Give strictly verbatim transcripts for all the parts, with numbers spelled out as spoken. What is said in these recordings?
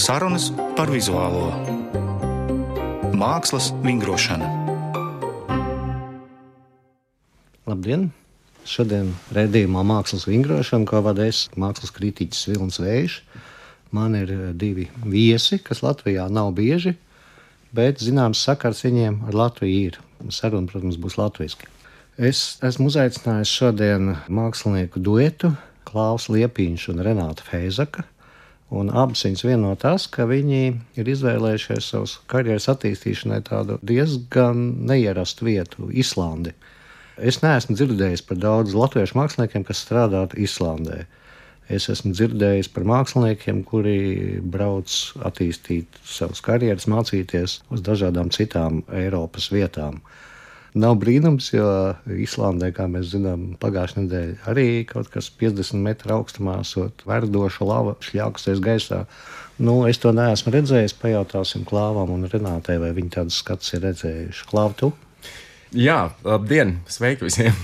Sarunas par vizuālo mākslas vingrošanu. Labdien! Šodien raidījumā Mākslas vingrošana, ko vada es, mākslas kritiķis Vilnis Vējš. Man ir divi viesi, kas Latvijā nav bieži, bet zināms sakars viņiem ar Latviju ir. Saruna, protams, būs latviski. Es esmu uzaicinājis šodien mākslinieku duetu Klaus Liepiņš un Renāta Feizaka. Un abas viņas vieno tas, ka viņi ir izvēlējušies savas karjeras attīstīšanai tādu diezgan neierastu vietu, Islandi. Es neesmu dzirdējis par daudz latviešu māksliniekiem, kas strādātu Islandē. Es esmu dzirdējis par māksliniekiem, kuri brauc attīstīt savas karjeras, mācīties uz dažādām citām Eiropas vietām. Nav brīnums, jo Islandē, kā mēs zinām, pagājušajā nedēļā arī kaut kas piecdesmit metru augstumā esot verdoša lava šļākusies gaisā. Nu, es to neesmu redzējis, pajautāsim Klāvam un Renātei, vai viņi tādus skatus ir redzējuši. Klāv, tu? Jā, labdien, sveiki visiem.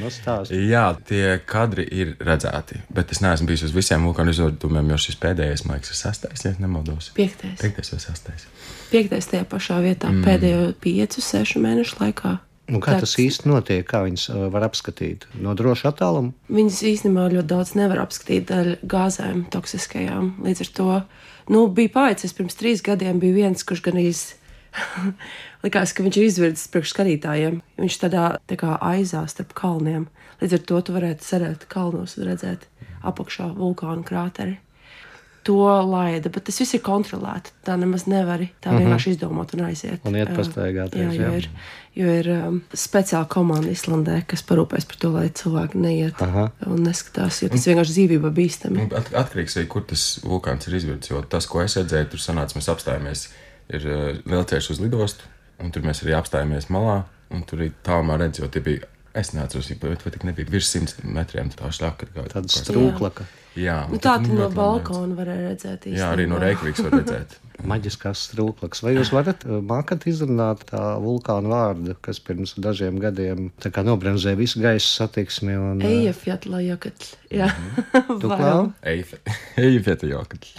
No stāsti. Jā, tie kadri ir redzēti, bet es neesmu bijis uz visiem vulkānu izvērtumiem, jo šis pēdējais, man liekas, ir sastais, ja nemaldos. Piektais. Piektais vai sastais. Piektais tajā pašā vietā mm. pēdējo piecu, sešu mēnešu laikā. Nu, kā tas īsti notiek, kā viņas var apskatīt? No droša attāluma? Viņas īstenībā ļoti daudz nevar apskatīt dēļ gāzēm toksiskajām. Līdz ar to, nu, bija paveicies pirms trīs gadiem, bija viens, kurš gan īsti likās, ka viņš ir izvirdzis priekš skatītājiem. Viņš tādā tā kā aizā starp kalniem. Līdz ar to tu varētu cerēt kalnos un redzēt apakšā vulkānu krāteri. To laida, bet tas viss ir kontrolēti. Tā nemaz nevari tā vienkārši izdomāt un aiziet. Un iet pastaigāties, jā. Jo ir, jo ir um, speciāla komanda Islandē, kas parūpēs par to, lai cilvēki neiet Aha. un neskatās, jo tas vienkārši dzīvība bīstami. At, atkarīgs arī, kur tas vulkāns ir izvirdzis, jo tas, ko es redzēju, tur sanāca, mēs apstājāmies, ir uh, lielceļš uz lidostu, un tur mēs arī apstājāmies malā, un tur arī tālumā redz, jo tie bija, es neatceros, bet vai tik nebija virs simts metriem tā šļaka. Tāda strūklaka. Jā. Nu, tā tu no balkona varēja redzēt īstenībā. Jā, arī no Reikvikas var redzēt. Maģiskās strūklakas. Vai jūs varat mākat izrunāt tā vulkāna vārdu, kas pirms dažiem gadiem tā kā nobremzēja visu gaisa satiksmi? Un... Eyjafjallajökull. Jā. Tu Klau? Eyjafjallajökull.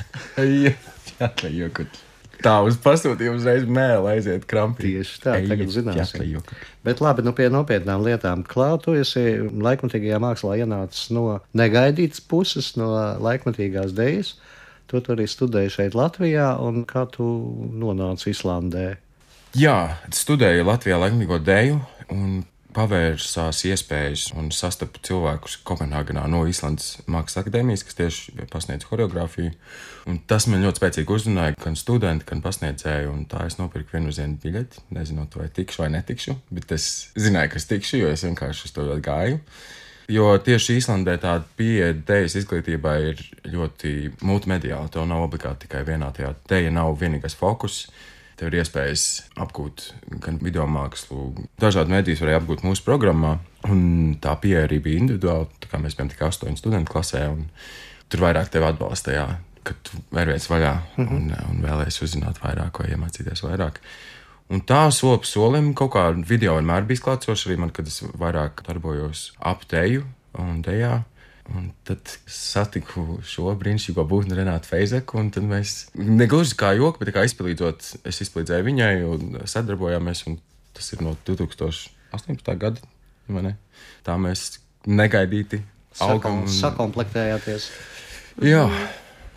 Eyjafjallajökull. Tā uz pasūtījumu uzreiz mēle aiziet krampī. Tieši tā, tagad zināsim. Bet labi, nu pie nopietnām lietām. Klau, tu esi laikmatīgajā mākslā ienācis no negaidītas puses, no laikmatīgās dejas. Tu arī studēji šeit Latvijā, un kā tu nonāci Islandē? Jā, studēju Latvijā laikmatīgo deju, un pavērsās iespējas un sastapu cilvēkus Kopenhāgenā no Islandes Mākslas akadēmijas, kas tieši pasniedz horeogrāfiju. Un tas man ļoti spēcīgi uzrunāja gan studenti, gan pasniedzēju, un tā es nopirku vienu uz vienu biļeti, nezinot, vai tikšu vai netikšu, bet es zināju, ka es tikšu, jo es vienkārši uz to ļoti gāju. Jo tieši Islandē tāda pieeja dejas izglītībā ir ļoti multimediāla, to nav obligāti tikai vienā tajā. Deja nav vienīgais fokus. Tev ir iespējas apgūt gan video mākslu, dažādu medijas varēja apgūt mūsu programmā, un tā pieeja arī bija individuāla, tā kā mēs bijām tikai astoņu studentu klasē, un tur vairāk tevi atbalsta, jā, kad tu vērviec vaļā un, un vēlēsi uzzināt vairāk vai iemācīties vairāk. Un tā soli pa solim kaut kā video vienmēr bijis klātsoši arī man, kad es vairāk darbojos ap deju un dejā. Un tad satiku šo brīnišķīgo būtni Renātu Feizaku, un tad mēs, negluži kā joku, bet kā izpalīdzot, es izpalīdzēju viņai un sadarbojāmies, un tas ir no tūkstoš astoņpadsmitā gada, vai ne? Tā mēs negaidīti augam. Un... Sakomplektējāties. Jā.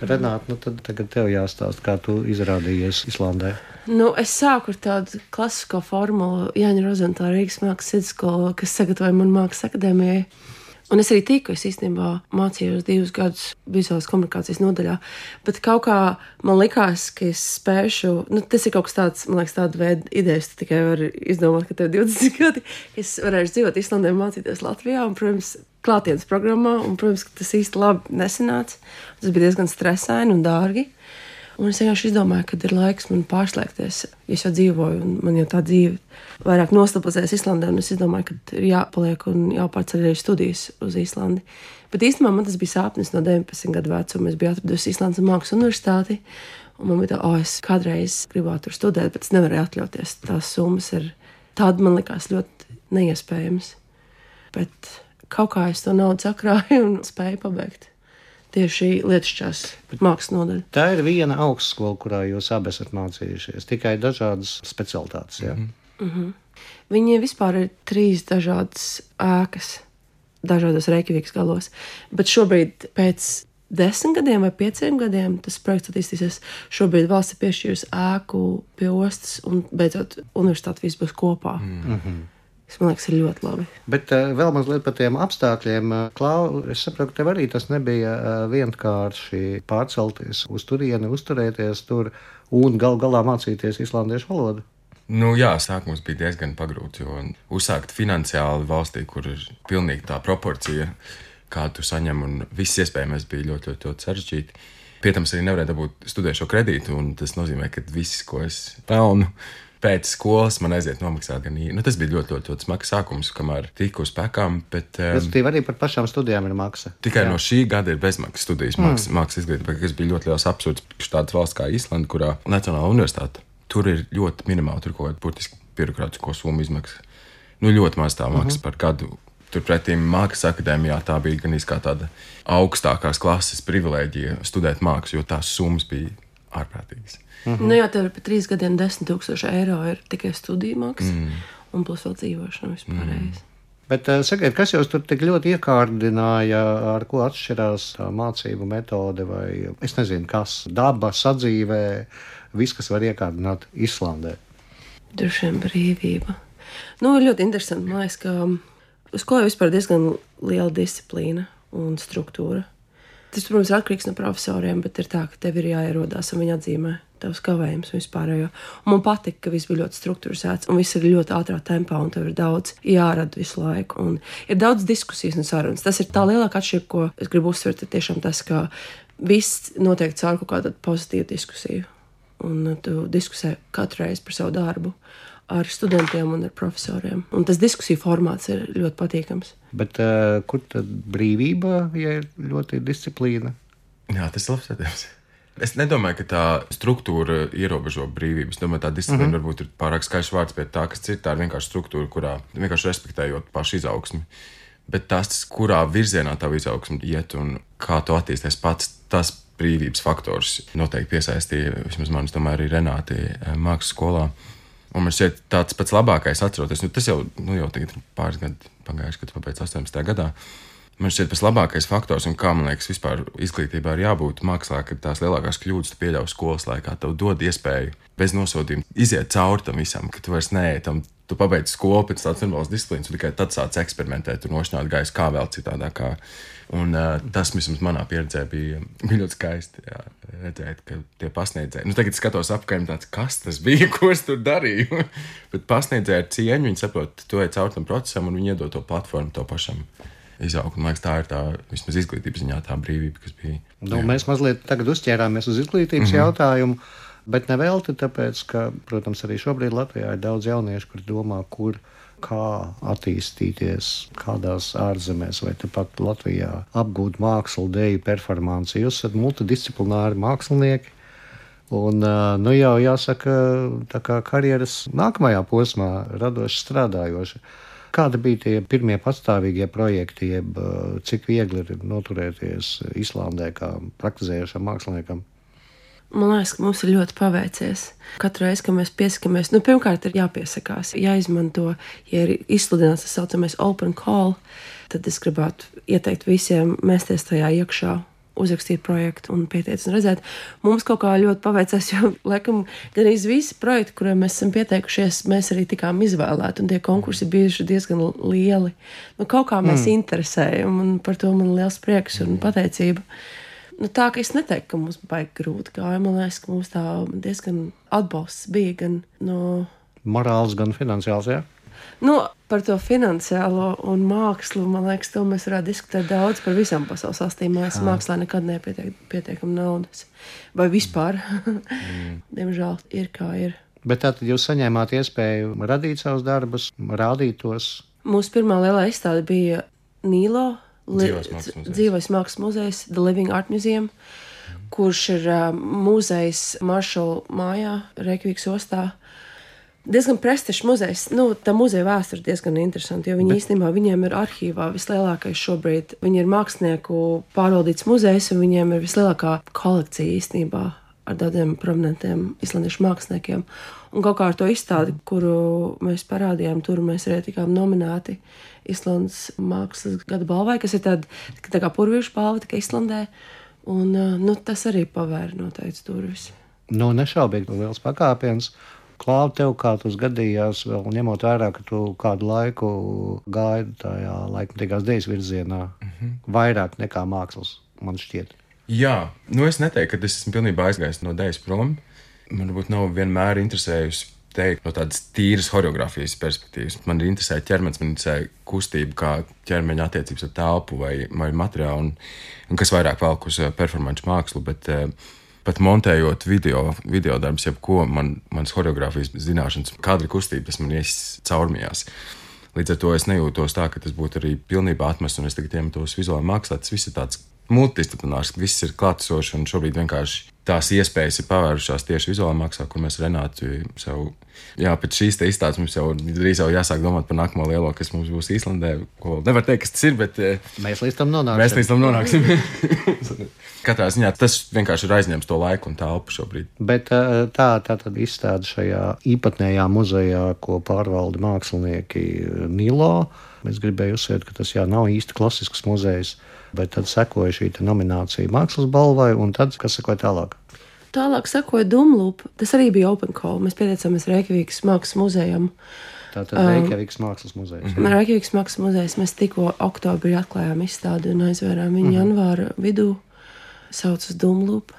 Renāta, nu tad tagad tev jāstāst, kā tu izrādījies Islandē. Nu, es sāku ar tādu klasisko formulu Jāņa Rozentāla Rīgas mākslas vidusskola, kas sagatavoja man Mākslas akadēmijai. Un es arī tiku, es īstenībā mācījos divus gadus vizuālās komunikācijas nodaļā, bet kaut kā man likās, ka es spēšu, nu tas ir kaut kas tāds, man liekas, tāda veida idejas, tu tikai vari izdomāt, ka tev divdesmit gadi, ka es varēšu dzīvot Islandē un mācīties Latvijā, un, protams, klātienes programmā, un, protams, ka tas īsti labi nesanāca. Tas bija diezgan stresaini un dārgi. Un es vienkārši izdomāju, ka ir laiks man pārslēgties. Es jau dzīvoju, un man jau tā dzīve vairāk nostabilizējas Islandē, un es izdomāju, ka ir jāpaliek un jāpārceļ arī studijas uz Islandi. Bet īstenībā man tas bija sāpnis no deviņpadsmit gadu vecuma. Es biju atradusi Islandes Mākslas universitāti, un man bija tā, o, es kādreiz gribētu tur studēt, bet es nevarēju atļauties. Tās summas ir tāda, man likās ļoti neiespējamas. Bet kaut kā es to naudu sakrāju un spēju pabeigt. tieši lietišķās mākslas nodaļa. Tā ir viena augstskola, kurā jūs abi esat mācījušies, tikai dažādas specialitātes. Ja? Mm-hmm. Viņi vispār ir trīs dažādas ēkas, dažādos Reikjavikas galos, bet šobrīd pēc desmit gadiem vai pieciem gadiem tas projekts attīstīsies. Šobrīd valsts ir piešķīrusi ēku pie ostas un beidzot universitāte viss būs kopā. Mm-hmm. Tas, man liekas, ir ļoti labi. Bet uh, vēl mazliet par tiem apstākļiem. Klau, es saprotu, ka tev arī tas nebija uh, vienkārši pārcelties uz turieni, uzturēties tur un gal galā mācīties islandiešu valodu. Nu, jā, sākums bija diezgan pagrūts, jo uzsākt finansiāli valstī, kur ir pilnīgi tā proporcija, kā tu saņem, un viss iespējamais bija ļoti, ļoti, ļoti sarežģīti. Pietams, arī nevarēja dabūt studēšo kredītu, un tas nozīmē, ka viss, ko es pelnu pēc skolas, man aiziet nomaksāt gan īri. Nu, tas bija ļoti, ļoti, ļoti smags sākums, kamēr tiku uz pēkām, bet... Respektīvi, arī par pašām studijām ir maksa. Tikai jā. No šī gada ir bezmaksas studijas mākslas mm. mākslas izglītība, kas bija ļoti liels absurds tādas valsts kā Islanda, kurā Nacionālā universitāte. Tur ir ļoti minimāli, tur kaut kāda burtiski birokrātisko summu izmaksa. Nu, ļoti maz tā maksa uh-huh. par gadu. Turpretī Mākslas akadēmijā tā bija gan kā tāda augstākās klases privilēģija studēt mākslu, jo tās summas bija ārprātīgas. Uh-huh. Nu jā, tev ir pa trīs gadiem desmit tūkstoši eiro ir tikai studiju maksa, mm. un plus vēl dzīvošana vispārējais. Mm. Bet, sakiet, kas jūs tur tik ļoti iekārdināja, ar ko atšķirās tā mācību metode, vai es nezinu, kas daba, sadzīvē, viss, kas var iekārdināt Islandē? Droši vien brīvība. Nu, ir ļoti interesanti, man liekas, ka skolā vispār diezgan liela disciplīna un struktūra. Tas, protams, ir atkarīgs no profesoriem, bet ir tā, ka tev ir jāierodās un viņi atzīmē tavs kavējums un vispārējo. Un man patika, ka viss bija ļoti strukturizēts un viss ir ļoti ātrā tempā un tev ir daudz jārada visu laiku. Un ir daudz diskusijas un sarunas. Tas ir tā lielāka atšķirība, ko es gribu uzsvert, ir tiešām tas, ka viss notiek caur kaut kādu pozitīvu diskusiju. Un tu diskusē katru reizi par savu darbu ar studentiem un ar profesoriem. Un tas diskusiju formāts ir ļoti patīkams. Bet uh, kur tad brīvība, ja ir ļoti disciplīna? Jā, tas ir labs jautājums. Es nedomāju, ka tā struktūra ierobežo brīvību. Es domāju, tā disciplīna mm-hmm. varbūt ir pārāk skaļš vārds, bet tā, kas ir, tā ir vienkārši struktūra, kurā vienkārši respektējot pašu izaugsmi. Bet tas, kurā virzienā tā izaugsme iet un kā tu attīsties pats, tas brīvības faktors noteikti piesaistīja, vismaz man, es domāju, arī Renāti mākslas skolā. Un man šķiet tāds pats labākais atceroties, nu tas jau, nu jau tagad pāris gadi pagājuši, kad pabeidz astoņdesmitajā gadā. Man šķiet pats labākais faktors, un kā man liekas vispār izglītībā ir jābūt mākslā, ka tās lielākās kļūdas tu pieļauj skolas laikā, tev dod iespēju bez nosodījuma iziet cauri tam visam, ka tu vairs neej tam, tu pabeidz skolu pēc tādas normālas disciplīnas, un tikai tad sāc eksperimentēt un nošķināt gaisu kā vēl citādākā. Un uh, tas, vismaz manā pieredzē, bija, bija ļoti skaisti jā, redzēt, ka tie pasniedzēji. Nu, tagad skatos apkārt, tāds, kas tas bija, ko es tur darīju. Bet pasniedzēji ar cieņu, viņi saprot, tu ej caur tam procesam, un viņi iedod to platformu to pašam izaugt. Man liekas, tā ir tā, vismaz izglītības ziņā, tā brīvība, kas bija. Nu, mēs mazliet tagad uzķērāmies uz izglītības mm-hmm. jautājumu, bet nevelti tāpēc, ka, protams, arī šobrīd Latvijā ir daudz jauniešu, kur domā, kur kā attīstīties kādās ārzemēs vai tepat Latvijā, apgūt mākslu, deju, performanci. Jūs esat multidisciplināri mākslinieki un, nu jau jāsaka, tā kā karjeras nākamajā posmā radoši strādājoši. Kādi bija tie pirmie patstāvīgie projekti, jeb cik viegli ir noturēties Islandē kā praktizējošam māksliniekam? Man liekas, ka mums ir ļoti paveicies. Katru reizi, kad mēs piesakamies, nu, pirmkārt ir jāpiesakās, jāizmanto, ja ir izsludināts tas saucamais open call, tad es gribētu ieteikt visiem mēsties tajā iekšā, uzrakstīt projektu un pieteikt un redzēt. Mums kaut kā ļoti paveicās, jo, laikam, gan arī visi projekti, kuriem mēs esam pieteikušies, mēs arī tikām izvēlēti, un tie konkursi bijuši diezgan lieli. Nu, kaut kā mēs mm. interesējam, un par to man liels prieks un pateicība. Nu, tā, ka es neteiktu, ka mums baigi grūti gāja. Man liekas, ka mums tā diezgan atbalsts bija gan no... Morāls, gan finansiāls, jā? Nu, par to finansiālo un mākslu, man liekas, to mēs varētu diskutēt daudz par visām pasaules valstīm. Man liekas, mākslā nekad nepietiek pietiekam naudas. Vai vispār. Mm. Diemžēl ir kā ir. Bet tātad jūs saņēmāt iespēju radīt savus darbus, rādīt tos? Mūsu pirmā lielā izstāde bija Nīlo. Dzīvais mākslas muzejs. Dzīvais mākslas muzejs, The Living Art Museum, kurš ir uh, muzejs Maršala mājā, Reikjavikas ostā. diezgan prestižs muzejs. Nu, tā muzeja vēsture ir diezgan interesanta, jo viņi Bet... īstenībā viņiem ir arhīvā vislielākais šobrīd. Viņi ir mākslinieku pārvaldīts muzejs, un viņiem ir vislielākā kolekcija īstenībā ar daudziem prominentiem islandiešu māksliniekiem. Un kaut kā ar to izstādi, kuru mēs parādījām, tur mēs arī tikām nominēti Islandes mākslas gada balvai, kas ir tāda tā kā purvīšu balva, tikai Islandē. Un nu, tas arī pavēra noteikti durvis. Nu, nešaubīgi liels pakāpiens. Klāv, tev kā tas gadījās, vēl ņemot vērā, ka tu kādu laiku gaidi tajā laikmatīgās dēļas virzienā, mm-hmm. vairāk nekā mākslas, man šķiet. Jā, nu es neteiktu, ka es esmu pilnībā aizgājis no dēļas prom. Man varbūt nav vienmēr interesējusi teikt no tādas tīras horeogrāfijas perspektīvas. Man ir interesē ķermenis, man interesē kustība, kā ķermeņa attiecības ar telpu vai, vai materiālu, un, un kas vairāk velk uz performanču mākslu, bet pat montējot video, video darbus, jebko, man, manas horeogrāfijas zināšanas, kadra kustība, tas man ies caurmijās. Līdz ar to es nejūtos tā, ka tas būtu arī pilnībā atmests, un es tagad iemetos vizuālajā mākslā. Tas viss ir tāds multidisciplinārs, viss ir klātesošs, un šobrīd vienkārši tās iespējas ir pavērušās tieši vizuālajā mākslā, kur mēs Renātu sev, jā, pēc šīs te izstādes mums jau drīz jau jāsāk domāt par nākamo lielo, kas mums būs Īslandē, ko nevar teikt, kas tas ir, bet mēs līdz tam nonāksim. Mēs līdz tam nonāksim. Katrā ziņā tas vienkārši ir aizņems to laiku un telpu šobrīd. Bet tā, tā tad izstāde šajā īpatnējā muzejā, ko pārvalda mākslinieki Nilo. Es gribēju uzsvērt, ka tas jā, nav īsti klasisks muzejs, bet tad sekoja šī nominācija mākslas balvai, un tad, kas sekoja tālāk? Tālāk sekoja Dumlup. Tas arī bija open call. Mēs pieteicāmies Reikjavikas mākslas muzejam. Tātad Reikjavikas um, mākslas muzejs. Mm-hmm. Reikjavikas mākslas muzejs. Mēs tikko oktobrī atklājām izstādi un aizvērām viņu mm-hmm. janvāra vidū. Sauc uz Dumlup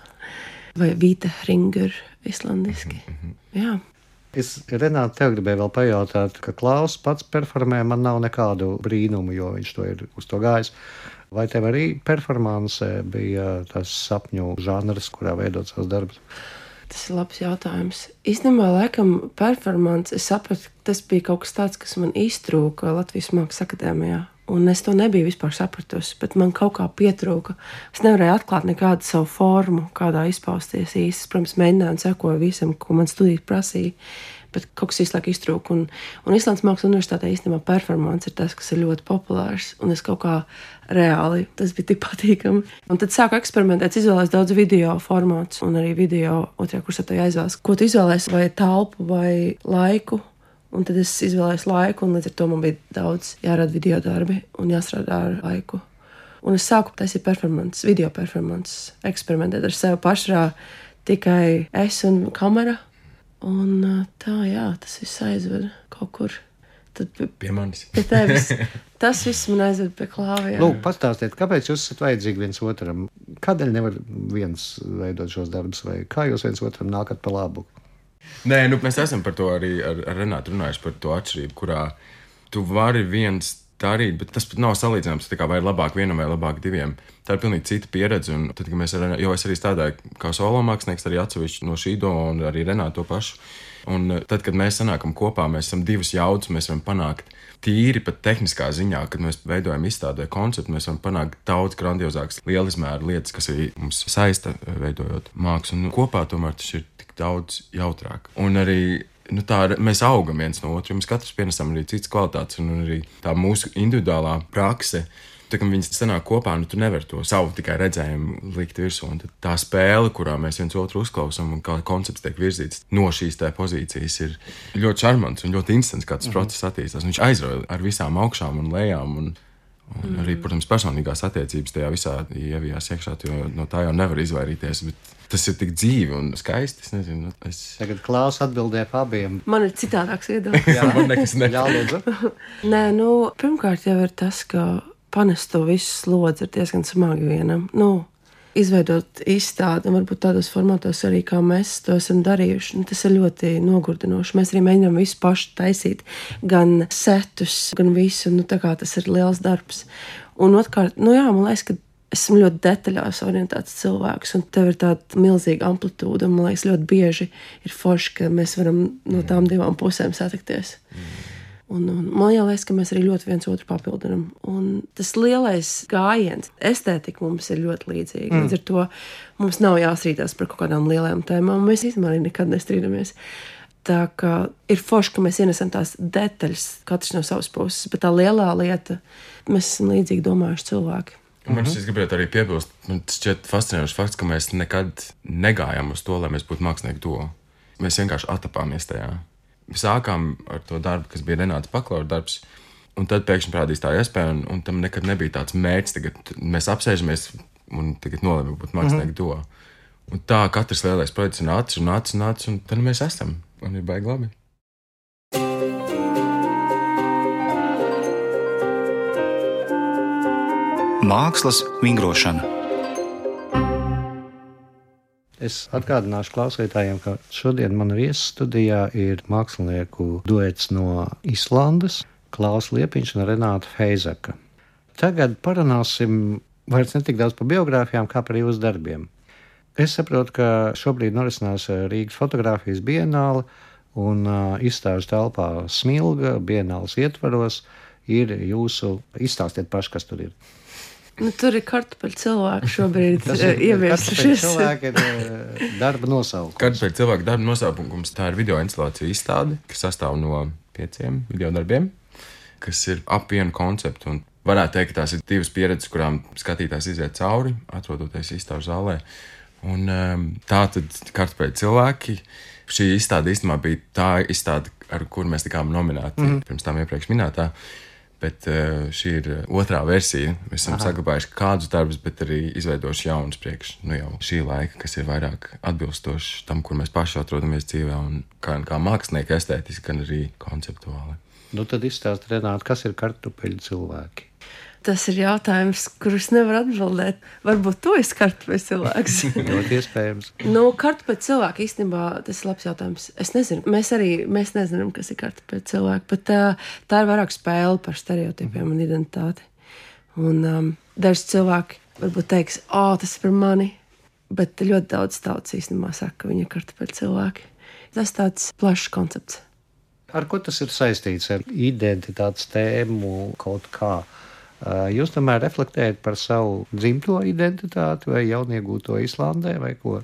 vai Vita Hringur islandiski. Mm-hmm. Jā. Es, Renāte, tev gribēju vēl pajautāt, ka Klaus pats performē, man nav nekādu brīnumu, jo viņš to ir uz to gājis. Vai tev arī performance bija tas sapņu žanrs, kurā veidot savus darbus? Tas ir labs jautājums. Īstenībā, laikam, performance, es sapratu, ka tas bija kaut kas tāds, kas man iztrūka Latvijas Mākslas akadēmijā. Un es to nebiju vispār sapratusi, bet man kaut kā pietrūka. Es nevarēju atklāt nekādu savu formu, kādā izpausties īsti. Protams, mēģināju un sekoju visam, ko man studijas prasīja, bet kaut kas īsti laik iztrūka. Un, un Islandes Mākslas universitātē īstenībā performance ir tas, kas ir ļoti populārs. Un es kaut kā reāli, tas bija tik patīkami. Un tad sāku eksperimentēt, izvēlēs daudz video formātus un arī video otrajā kursā to jāizvēlas. Ko tu izvēlēs, vai telpu vai laiku? Un tad es izvēlējos laiku, un līdz ar to man bija daudz jārada video darbi un jāstrādā ar laiku. Un es sāku taisīt performances, video performances, eksperimentēt ar sevi pašrā, tikai es un kamera. Un tā, jā, tas viss aizveda kaut kur. Tad pie manis. Pie tevis. Tas viss man aizveda pie klāviem. Lūk, pastāstiet, kāpēc jūs esat vajadzīgi viens otram? Kādēļ nevar viens veidot šos darbus, vai kā jūs viens otram nākat pa labu? Nē, nu, mēs esam par to arī ar, ar Renātu runājuši par to atšķirību, kurā tu vari viens darīt, bet tas pat nav salīdzināms, tā kā vai labāk vienam vai labāk diviem. Tā ir pilnīgi cita pieredze, un tad, kad mēs ar Renātu, jo es arī strādāju kā solo mākslinieks, arī atsevišķi no šī doma un arī Renātu to pašu. Un tad, kad mēs sanākam kopā, mēs esam divas jaudas, mēs varam panākt tīri pat tehniskā ziņā, kad mēs veidojam izstādi vai konceptu, mēs varam panākt daudz grandiozākas lielizmēra lietas, kas arī mums saista veidojot mākslu. Un kopā tomēr tas ir tik daudz jautrāk. Un arī nu, tā, mēs augam viens no otru, mēs katrs pienesam arī citas kvalitātes, un arī tā mūsu individuālā prakse. Tā, kad viņi sanāk kopā, nu tu nevari to savu tikai redzējumu likt virsū. Un tā spēle, kurā mēs viens otru uzklausām un kā koncepts tiek virzīts no šīs tā pozīcijas, ir ļoti šarmants un ļoti instants, kā tas mm-hmm. process attīstās. Viņš aizrauja ar visām augšām un lejām. Un, un mm-hmm. arī, protams, personīgās attiecības tajā visā ievijās iekšā, jo no tā jau nevar izvairīties. Bet tas ir tik dzīvi un skaisti. Es nezinu, es... Tagad Klaus atbildēja pa abiem. Man ir citādāks viedoklis. Jā, man nekas nepalūdzu. Nē, nu, pirmkārt jau ir tas, ka panest to visu slodzi ir diezgan smagi vienam. Nu, izveidot izstādi, un varbūt tādos formātos arī, kā mēs to esam darījuši, nu, tas ir ļoti nogurdinoši. Mēs arī mēģinām visu pašu taisīt, gan setus, gan visu, nu, tā kā tas ir liels darbs. Un otrkārt, nu jā, man liekas, ka esmu ļoti detaļās orientēts cilvēks, un tev ir tāda milzīga amplitūda, un man liekas, ļoti bieži ir forši, ka mēs varam no tām divām pusēm satikties. Mm. Un, un man liekas, ka mēs arī ļoti viens otru papildinam. Un tas lielais gājiens, estētika mums ir ļoti līdzīga. Mm. Līdz ar to mums nav jāstrīdās par kaut kādām lielām tēmām. Mēs īstenībā arī nekad nestrīdamies. Tā kā ir forši, ka mēs ienesam tās detaļas, katrs no savas puses, bet tā lielā lieta, mēs esam līdzīgi domājuši cilvēki. Un man šis gribētu arī piebilst, man šķiet fascinējošs fakts, ka mēs nekad negājām uz to, lai mēs būtu mākslinieki duo. Mēs vienkārši atapāmies tajā. Mēs sākām ar to darbu, kas bija Renāta Paklaura darbs, un tad pēkšņi parādījās tā iespēja, un, un tam nekad nebija tāds mērķis, tagad mēs apsēžamies un tagad nolēmām būt mākslinieki mm-hmm. duo. Un tā katrs lielais projekts ir nācis un nācis un nācis, un tad mēs esam. Un ir baigi labi. Mākslas vingrošana. Es atgādināšu klausītājiem, ka šodien man viesu studijā ir mākslinieku duets no Islandes, Klaus Liepiņš un Renāta Feizeka. Tagad parunāsim vairs ne tik daudz par biogrāfijām, kā par jūsu darbiem. Es saprotu, ka šobrīd norisinās Rīgas fotogrāfijas bienāle un uh, izstāžu telpā Smilga bienāles ietvaros ir jūsu, izstāstiet paši, kas tur ir. Nu, tur ir kartupeļu cilvēki šobrīd ieviesušies. Cilvēki ir uh, darba nosaukums. Kartupeļu cilvēku darba nosaukums, tā ir video instalācija izstāde, kas sastāv no pieciem video darbiem, kas ir ap vienu konceptu. Un varētu teikt, ka tās ir divas pieredzes, kurām skatītājs iziet cauri, atrodoties izstāžu zālē. Un tā tad kartupeļu cilvēki, šī izstāde īstenībā bija tā izstāde, ar kuru mēs tikām nominēti mm. pirms tām iepriekš minētā, bet šī ir otrā versija. Mēs esam Aha. saglabājuši kādus darbus, bet arī izveidojuši jaunus priekš, nu jau šī laika, kas ir vairāk atbilstoši tam, kur mēs paši atrodamies dzīvē, un kā, kā mākslinieki estētiski, gan arī konceptuāli. Nu tad izstāst, Renāta, kas ir kartupeļu cilvēki? Tas ir jautājums, kurus nevar atbildēt. Varbūt tu esi kartupeļu cilvēks. Ļoti iespējams. Nu, kartupeļu cilvēki īstenībā, tas ir labs jautājums. Es nezinu, mēs arī mēs nezinām, kas ir kartupeļu cilvēki, bet tā, tā ir vairāk spēle par stereotipiem un identitāti. Un um, daži cilvēki varbūt teiks, o, tas ir par mani, bet ļoti daudz tautas īstenībā saka, ka viņi ir kartupeļu cilvēki. Tas tāds plašs koncepts. Ar ko tas ir saistīts? Ar identitātes tēmu kaut kā? Jūs tomēr reflektējat par savu dzimto identitāti vai jauniegūto Islandē vai ko?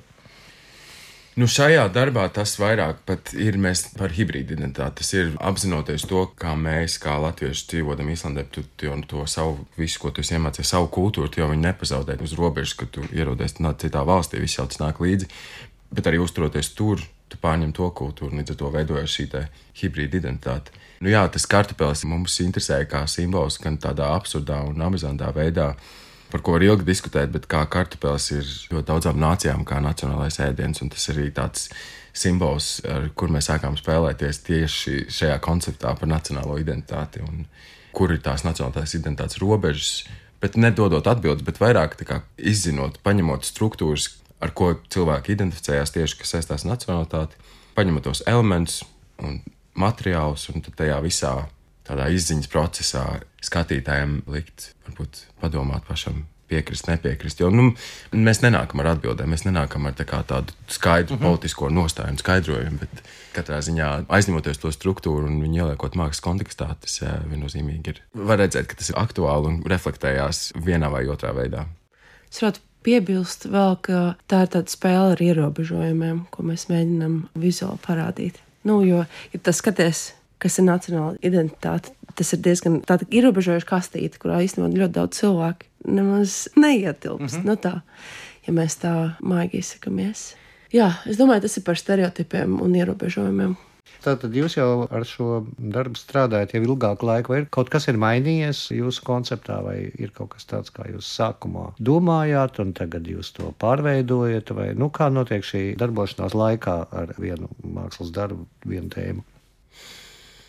Nu šajā darbā tas vairāk pat ir mēs par hibrīdu identitāti. Tas ir apzinoties to, kā mēs, kā latvieši dzīvodam Islandē, tu, tu jau to savu, visu, ko tu esi iemācījies, savu kultūru, tu jau viņu nepazaudēt uz robežas, kad tu ierodies citā valstī, viss jau tas nāk līdzi, bet arī uzturoties tur, tu pārņem to kultūru, līdz ar to veidojas šī te hibrīda identitāte. Nu jā, tas kartupelis mums interesēja kā simbols, gan tādā absurdā un amizantā veidā, par ko var ilgi diskutēt, bet kā kartupelis ir ļoti daudzām nācijām kā nacionālais ēdiens, un tas arī tāds simbols, ar kur mēs sākām spēlēties tieši šajā konceptā par nacionālo identitāti, un kur ir tās nacionālās identitātes robežas, bet nedodot atbildes, bet vairāk tā kā izzinot, paņemot struktūras, ar ko cilvēki identificējās tieši, kas saistās nacionalitāti, paņemot tos elementus un materiālus, un tad tajā visā tādā izziņas procesā skatītājiem likt, varbūt padomāt pašam, piekrist, nepiekrist. Jo nu, mēs nenākam ar atbildēm, mēs nenākam ar tā kā tādu skaidru uh-huh. politisko nostāju un skaidrojumu, bet katrā ziņā aizņemoties to struktūru un viņu ieliekot mākslas kontekstā, tas viennozīmīgi ir. Var redzēt, ka tas ir aktuāli un reflektējās vienā vai otrā veidā. Es varētu piebilst vēl, ka tā ir tāda spēle ar ierobežojumiem, ko mēs mēģinām vizuāli parādīt. Nu, jo, ja tas skaties, kas ir nacionāla identitāte, tas ir diezgan tāda ierobežojuša kastīte, kurā īstenībā ļoti daudz cilvēku nemaz neietilpst. Mm-hmm. Nu tā, ja mēs tā maigi izsakamies. Jā, es domāju, tas ir par stereotipiem un ierobežojumiem. Tātad jūs jau ar šo darbu strādājat jau ilgāku laiku, vai kaut kas ir mainījies jūsu konceptā, vai ir kaut kas tāds, kā jūs sākumā domājāt, un tagad jūs to pārveidojat, vai nu kā notiek šī darbošanās laikā ar vienu mākslas darbu, vienu tēmu?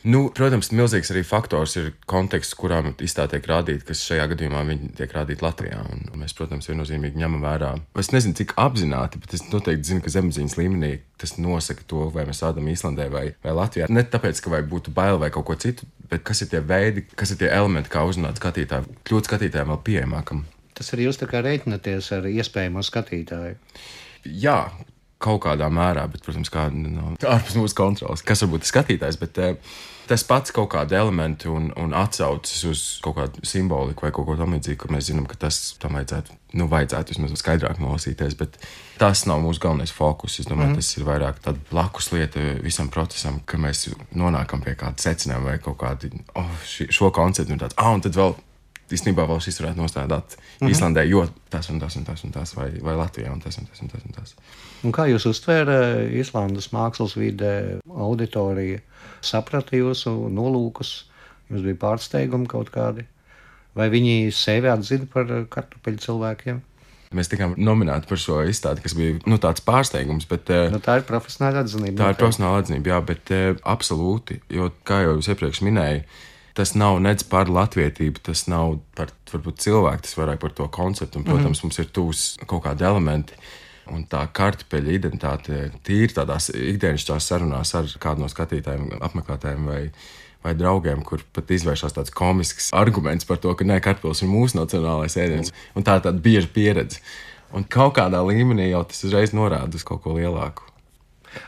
Nu, protams, milzīgs arī faktors ir konteksts, kurā izstāde tiek rādīta, kas šajā gadījumā viņi tiek rādīti Latvijā. Un mēs, protams, viennozīmīgi ņemam vērā. Es nezinu, cik apzināti, bet es noteikti zinu, ka zemapziņas līmenī tas nosaka to, vai mēs rādām Islandē vai, vai Latvijā. Ne tāpēc, ka vai būtu bail vai kaut ko citu, bet kas ir tie veidi, kas ir tie elementi, kā uzrunāt skatītāju, kļūt skatītājiem vēl pieejamākam. Tas arī jūs tā kā reiķinaties ar iespējamo skatītāju. Jā. kaut kādā mērā, bet, protams, kā no, ārpus mūsu kontrolas, kas varbūt ir skatītājs, bet tas pats kaut kādi elementi un, un atsaucas uz kaut kādu simboliku vai kaut ko tam līdzīgu, kur mēs zinām, ka tas tam vajadzētu, nu, vajadzētu vismaz skaidrāk nolasīties, bet tas nav mūsu galvenais fokus. Es domāju, mm. tas ir vairāk tāda blakus lieta visam procesam, ka mēs nonākam pie kāda secinājuma vai kaut kādi, oh, ši, šo konceptu un tāds, ah, un tad vēl īstenībā vēl šis varētu nostādāt mm-hmm. Īslandē, jo tas un tas un tas un tas, vai, vai Latvijā un tas un tas un tas un tas. Un kā jūs uztvēra Īslandes mākslas vide auditorija? Saprata jūsu nolūkus? Jums bija pārsteigumi kaut kādi? Vai viņi sevi atzina par kartupeļu cilvēkiem? Mēs tikām nominēti par šo izstādi, kas bija nu, tāds pārsteigums. Bet, nu, tā ir profesionāla atzinība. Tā ir profesionāla atzinība, jā, bet absolūti, jo, kā jau jūs iepriekš minēju, tas nav nec par latvietību, tas nav par varbūt cilvēku, tas vairāk par to konceptu. Un, protams, mm-hmm. mums ir tūs kaut kādi elementi. Un tā kartupeļa identitāte tīri tādās ikdienišķās sarunās ar kādu no skatītājiem, apmeklētājiem vai, vai draugiem, kur pat izvēršās tāds komisks arguments par to, ka nē, kartupeļs ir mūsu nacionālais ēdiens. Un tā ir tāda bieža pieredze. Un kaut kādā līmenī jau tas uzreiz norāda uz kaut ko lielāku.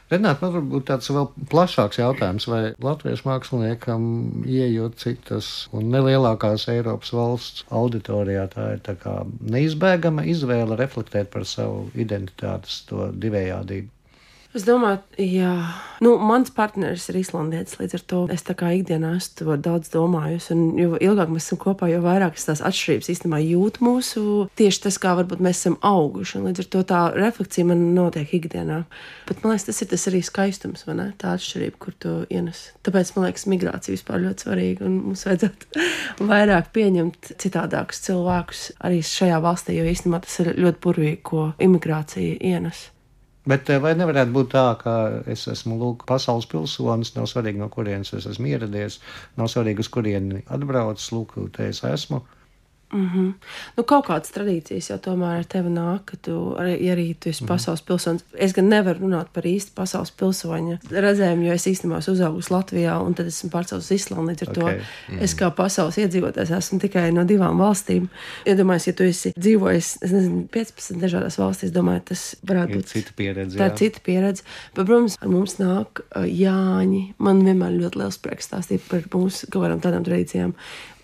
Renāt, man varbūt tāds vēl plašāks jautājums, vai latviešu māksliniekam ieejot citas un nelielākās Eiropas valsts auditorijā, tā ir tā kā neizbēgama izvēle reflektēt par savu identitātes to divējādību? Es domāju, jā, nu, mans partneris ir islandietis, līdz ar to es tā kā ikdienā esmu to daudz domājusi, un jo ilgāk mēs esam kopā, jo vairāk es tās atšķirības īstenībā jūtu mūsu, tieši tas, kā varbūt mēs esam auguši, un līdz ar to tā refleksija man notiek ikdienā. Bet man liekas, tas ir tas arī skaistums, vai ne? Tā atšķirība, kur tu ienes. Tāpēc, man liekas, migrācija vispār ļoti svarīga, un mums vajadzētu vairāk pieņemt citādākus cilvēkus arī šajā valstī, jo īstenībā tas ir ļoti burvīgi, ko imigrācija ienes. Bet vai nevarētu būt tā, ka es esmu lūk, pasaules pilsonis, nav svarīgi, no kurienes es esmu ieradies, nav svarīgi, uz kurieni atbraucis, lūk, te es esmu? Mm-hmm. Nu, kaut kādas tradīcijas jau tomēr ar tevi nāk, ka tu arī, ja arī tu esi mm-hmm. pasaules pilsonis. Es gan nevaru runāt par īsti pasaules pilsoņa redzējumu, jo es īstenībā esmu uzaugusi Latvijā un tad esmu pārcēlus uz Islandu, līdz ar okay. to mm-hmm. es kā pasaules iedzīvotājs esmu tikai no divām valstīm. Iedomājies, ja tu esi dzīvojis, es nezinu, piecpadsmit dažādās valstīs, domāju, tas varētu būt cita pieredze. Tā ir cita pieredze. Bet, protams, ar mums nāk uh, Jāņi. Man vienmēr ļoti liels prieks stāstīt par mūsu kaut kādām tādām tradīcijām.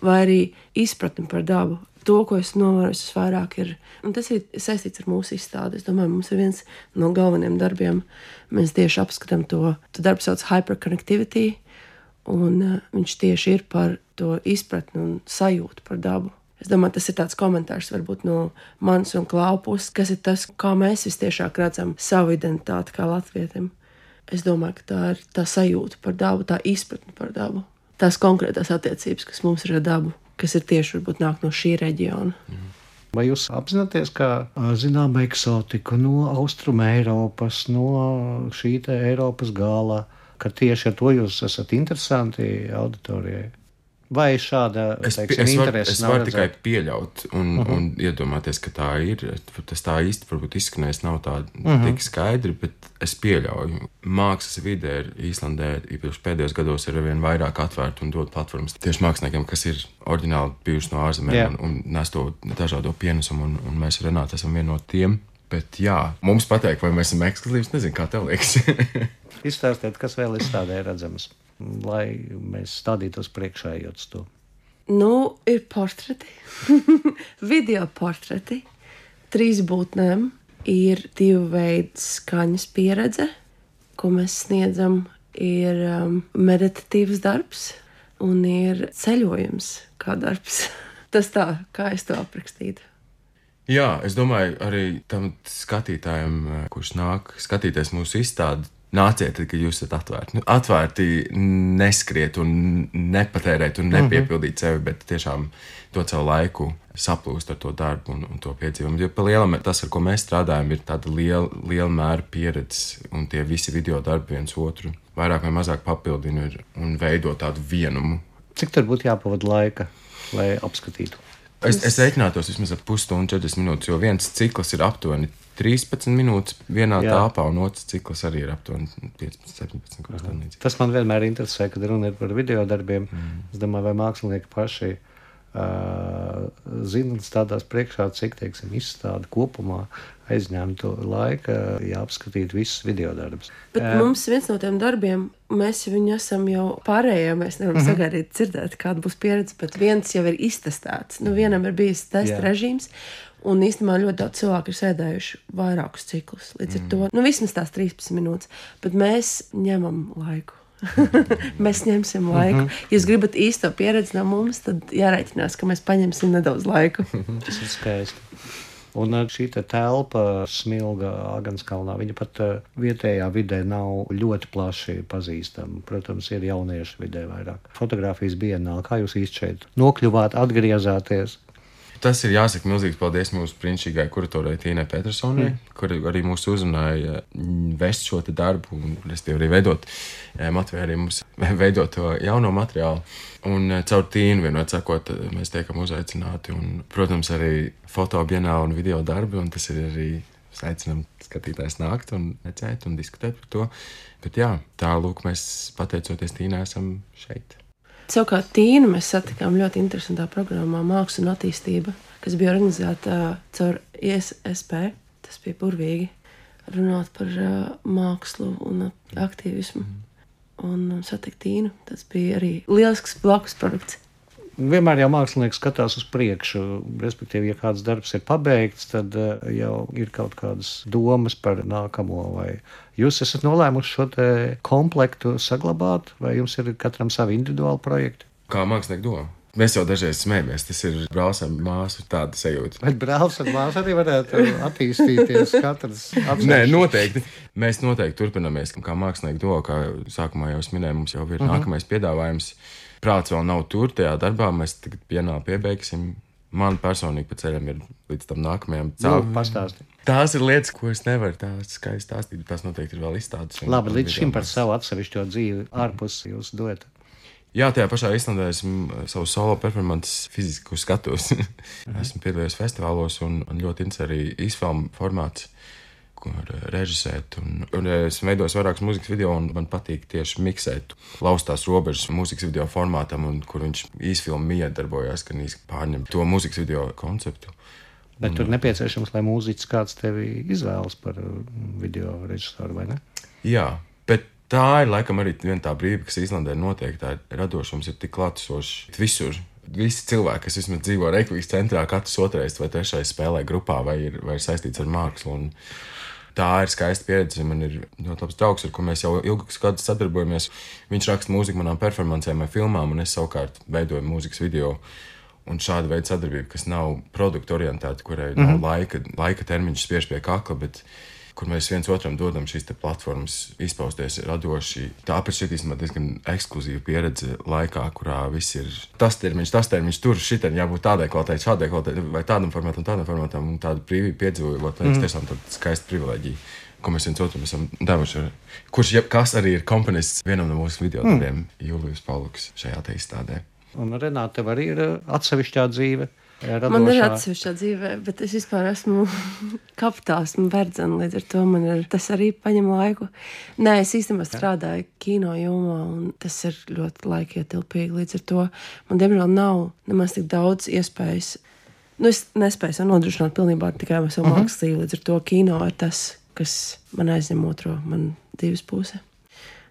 Vai arī izpratni par dabu. To, ko es novēroju, vairāk ir, un tas ir saistīts ar mūsu izstādi. Es domāju, mums ir viens no galvenajiem darbiem. Mēs tieši apskatām to, to darbu sauc hyperconnectivity, un uh, viņš tieši ir par to izpratni un sajūtu par dabu. Es domāju, tas ir tāds komentārs varbūt no manas un Klau puses, kas ir tas, kā mēs vistiešāk redzam savu identitāti kā latvietim. Es domāju, ka tā ir tā sajūta par dabu, tā izpratni par dabu. Tās konkrētās attiecības, kas mums ir ar dabu, kas ir tieši varbūt nāk no šī reģiona. Mm. Vai jūs apzināties, ka zinām eksotiku no Austruma Eiropas, no šī te Eiropas gala, ka tieši ar to jūs esat interesanti auditorijai? Vai šāda es, teiksim, es var, interesi es nav varu redzēt? tikai pieļaut un, uh-huh. un iedomāties, ka tā ir. Tas tā īsti varbūt izskanēs nav tā uh-huh. tik skaidri, bet es pieļauju. Mākslas vide ir Īslandē, īpaši pēdējos gados ir arvien vairāk atvērta un dod platformas tieši māksliniekiem, kas ir oriģināli bijuši no ārzemēm yeah. un, un nes to dažādo pienesumu, un, un mēs ar Renātu esam vieni no tiem. Bet jā, mums pateikt, vai mēs esam ekskluzīvs, nezinu, kā tev liekas. Izstāstiet, kas vēl izstādē redzams, lai mēs stādītos priekšā ejot to. Nu, ir portreti, video portreti, trīs būtnēm, ir divu veidu skaņas pieredze, ko mēs sniedzam, ir um, meditatīvs darbs un ir ceļojums kā darbs. Tas tā, kā es to aprakstītu. Jā, es domāju, arī tam skatītājiem, kurš nāk skatīties mūsu izstādi, nāciet, kad jūs esat atvērti. Nu, atvērti neskriet un nepatērēt un nepiepildīt sevi, bet tiešām dot savu laiku saplūst ar to darbu un, un to piedzīvumu. Jo pa lielam tas, ar ko mēs strādājam, ir tāda liela, liela mēra pieredze, un tie visi video darbi viens otru vairāk vai mazāk papildina un veido tādu vienumu. Cik tur būtu jāpavada laika, lai apskatītu? Es, es reiķinātos vismaz ap pusstundu, četrdesmit minūtes, jo viens cikls ir aptuveni trīspadsmit minūtes vienā Jā. Tāpā, un otrs cikls arī ir aptuveni piecpadsmit, septiņpadsmit. Tas man vienmēr interesē, kad runa ir par video darbiem. Mm. Es domāju, vai mākslinieki paši uh, zinu, stādās priekšā, cik, teiksim, izstāde kopumā aizņemtu laika, ja apskatītu visus videodarbus. Bet uh, mums viens no tiem darbiem, mēs viņu esam jau pārējie, mēs nevaram uh-huh. sagaidīt dzirdēt, kāda būs pieredze, bet viens jau ir iztestēts. Nu, vienam ir bijis testa yeah. režīms, un īstenībā ļoti daudz cilvēku ir sēdējuši vairākus ciklus. Līdz ar mm. to, nu, vismaz tās trīspadsmit minūtes, bet mēs ņemam laiku. Mēs ņemsim laiku. Mm-hmm. Ja jūs gribat īsto pieredzi no mums, tad jārēķinās, ka mēs paņemsim nedaudz laiku. Tas ir skaisti. Un šī te telpa Smilga Āgenskalnā, viņa pat vietējā vidē nav ļoti plaši pazīstama. Protams, ir jauniešu vidē vairāk. Fotogrāfijas bienāla, kā jūs īsti šeit nokļuvāt, atgriezāties? Tas ir jāsaka milzīgs paldies mūsu brīnišķīgai kuratorai Tīnai Petersonai, mm. kur arī mūs uzrunāja vest šo te darbu un arī veidot, motivē arī mums veidot to jauno materiālu. Un caur Tīnu vienot sakot, mēs tiekam uzaicināti un, protams, arī fotobienāla un video darbi, un tas ir arī aicinām skatītājs nākt un redzēt un diskutēt par to. Bet jā, tā lūk, mēs pateicoties Tīnai esam šeit. Savukārt Tīnu mēs satikām ļoti interesantā programmā Māksla un attīstība, kas bija organizēta caur I S S P. Tas bija burvīgi runāt par uh, mākslu un aktīvismu. Un satikt Tīnu, tas bija arī lielisks blakus produkts. Vienmēr jau mākslinieks skatās uz priekšu, respektīvi, ja kāds darbs ir pabeigts, tad uh, jau ir kaut kādas domas par nākamo, vai jūs esat nolēmuši šo te komplektu saglabāt, vai jums ir katram savi individuāli projekti? Kā mākslinieki doma? Mēs jau dažreiz smējamies, tas ir brālis un māsu tāda sajūta. Bet brālis un māsa arī varētu attīstīties katrs atsevišķi. Nē, noteikti. Mēs noteikti turpinamies, kā mākslinieki doma, kā sākumā jau es minēju, mums jau ir uh-huh. nākamais piedāvājums. Prāts vēl nav tur tajā darbā, mēs tagad pienā piebeigsim. Man personīgi pa ceļam ir līdz tam nākamajam cauri. Pastāsti. Tās ir lietas, ko es nevaru tā skaisti stāstīt, tās noteikti ir vēl izstādes. Labi, līdz šim par savu atsevišķo dzīvi ārpus jūs dodat. Jā, tajā pašā Islandē esmu savu solo performances fiziski skatos. Esmu piedalījies festivālos un, un ļoti interesē arī īsfilmu formāts, kur režisēt. Un, un esmu veidojis vairākus mūzikas video, un man patīk tieši miksēt laustās robežas mūzikas video formātam, un kur viņš īsfilmu miedarbojās, gan īsti pārņem to mūzikas video konceptu. Bet un, tur nepieciešams, lai mūziķis kāds tevi izvēlas par video režisoru, vai ne? Jā, bet tā ir laikam arī viena tā brīva, kas Īslandē notiek, tā radošums ir tik klātesošs visur. Visi cilvēki, kas vismaz dzīvo Reikvikas centrā, katrs otrais vai trešais spēlē grupā vai ir, vai ir saistīts ar mākslu. Un tā ir skaista pieredze. Man ir ļoti labs draugs, ar ko mēs jau ilgus gadus sadarbojamies. Viņš raksta mūziku manām performancēm vai filmām, un es savukārt veidoju mūzikas video. Un šāda veida sadarbība, kas nav produktu orientēta, kurai mm-hmm. nav laika, laika termiņš spiež pie kakla, bet kur mēs viens otram dodam šīs te platformas izpausties radoši. Tāpēc šeit īstenībā diezgan ekskluzīva pieredze laikā, kurā viss ir tas termiņš, tas termiņš, tur šitam jābūt tādai kvalitātei, šādai kvalitātei, vai tādam formātam, tādam formātam, un tādu brīvību piedzīvot, liekas, mm. tiešām tāda skaista privileģija, ko mēs viens otram esam devuši. Kurš, ja, kas arī ir komponists vienam no mūsu video darbiem, mm. Julijus Pauluks šajā te izstādē. Un Renāte, tev arī ir atsevišķā dzīve? Radošā. Man ir atsevišķā dzīve, bet es vispār esmu kapitāls, esmu verdzena, līdz ar to man ir, tas arī paņem laiku. Nē, es īstenībā strādāju kino jomā, un tas ir ļoti laikietilpīgi, līdz ar to man, diemžēl, nav nemaz tik daudz iespējas. Nu, es nespēju nodrošināt pilnībā tikai savu uh-huh. mākslas dzīvi, līdz ar to kino ir tas, kas man aizņem otro, man dzīves puse.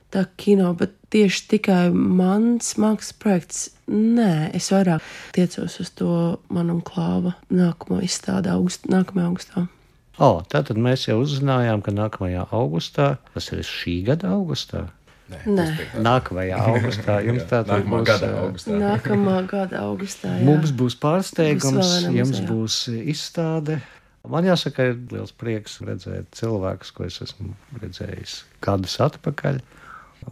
Tā kino, bet tieši tikai mans mākslas projekts, nē, es vairāk tiecos uz to man un Klāva nākamo izstādi august, nākamajā augustā. O, tātad mēs jau uzzinājām, ka nākamajā augustā, tas ir šī gada augustā? Nē. Nē. Nākamajā augustā. Jums tātad Nākamā būs, gada augustā. Nākamā gada augustā, jā. Mums būs pārsteigums, Būs jums būs izstāde. Man jāsaka, ir liels prieks redzēt cilvēkus, ko es esmu redzējis gadus atpakaļ.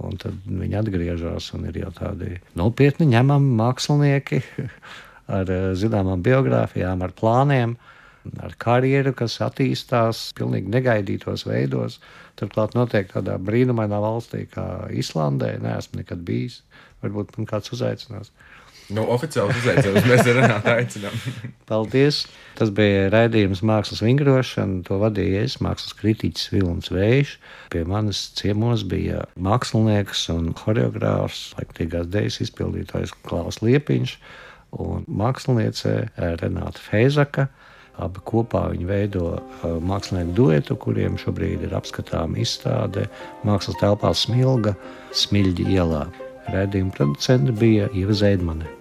Un tad viņi atgriežas un ir jau tādi nopietni ņemami mākslinieki ar zināmām biogrāfijām, ar plāniem, ar karjeru, kas attīstās pilnīgi negaidītos veidos. Turklāt notiek tādā brīnumainā valstī kā Islandē. Neesmu nekad bijis. Varbūt man kāds uzaicinās. Nu, oficiāli uzaicinājums mēs ar Renātu aicinām. Paldies! Tas bija raidījums Mākslas vingrošana. To vadīja es, mākslas kritiķis Vilnis Vējš. Pie manas ciemos bija mākslinieks un horeogrāfs, laikmatīgās dejas izpildītājs Klaus Liepiņš un māksliniece Renāta Feizaka. Abi kopā viņi veido mākslinieku duetu, kuriem šobrīd ir apskatāma izstāde mākslas telpā Smilga, Smiļģi ielā. Raidījuma producente bija Ieva Zeidmane.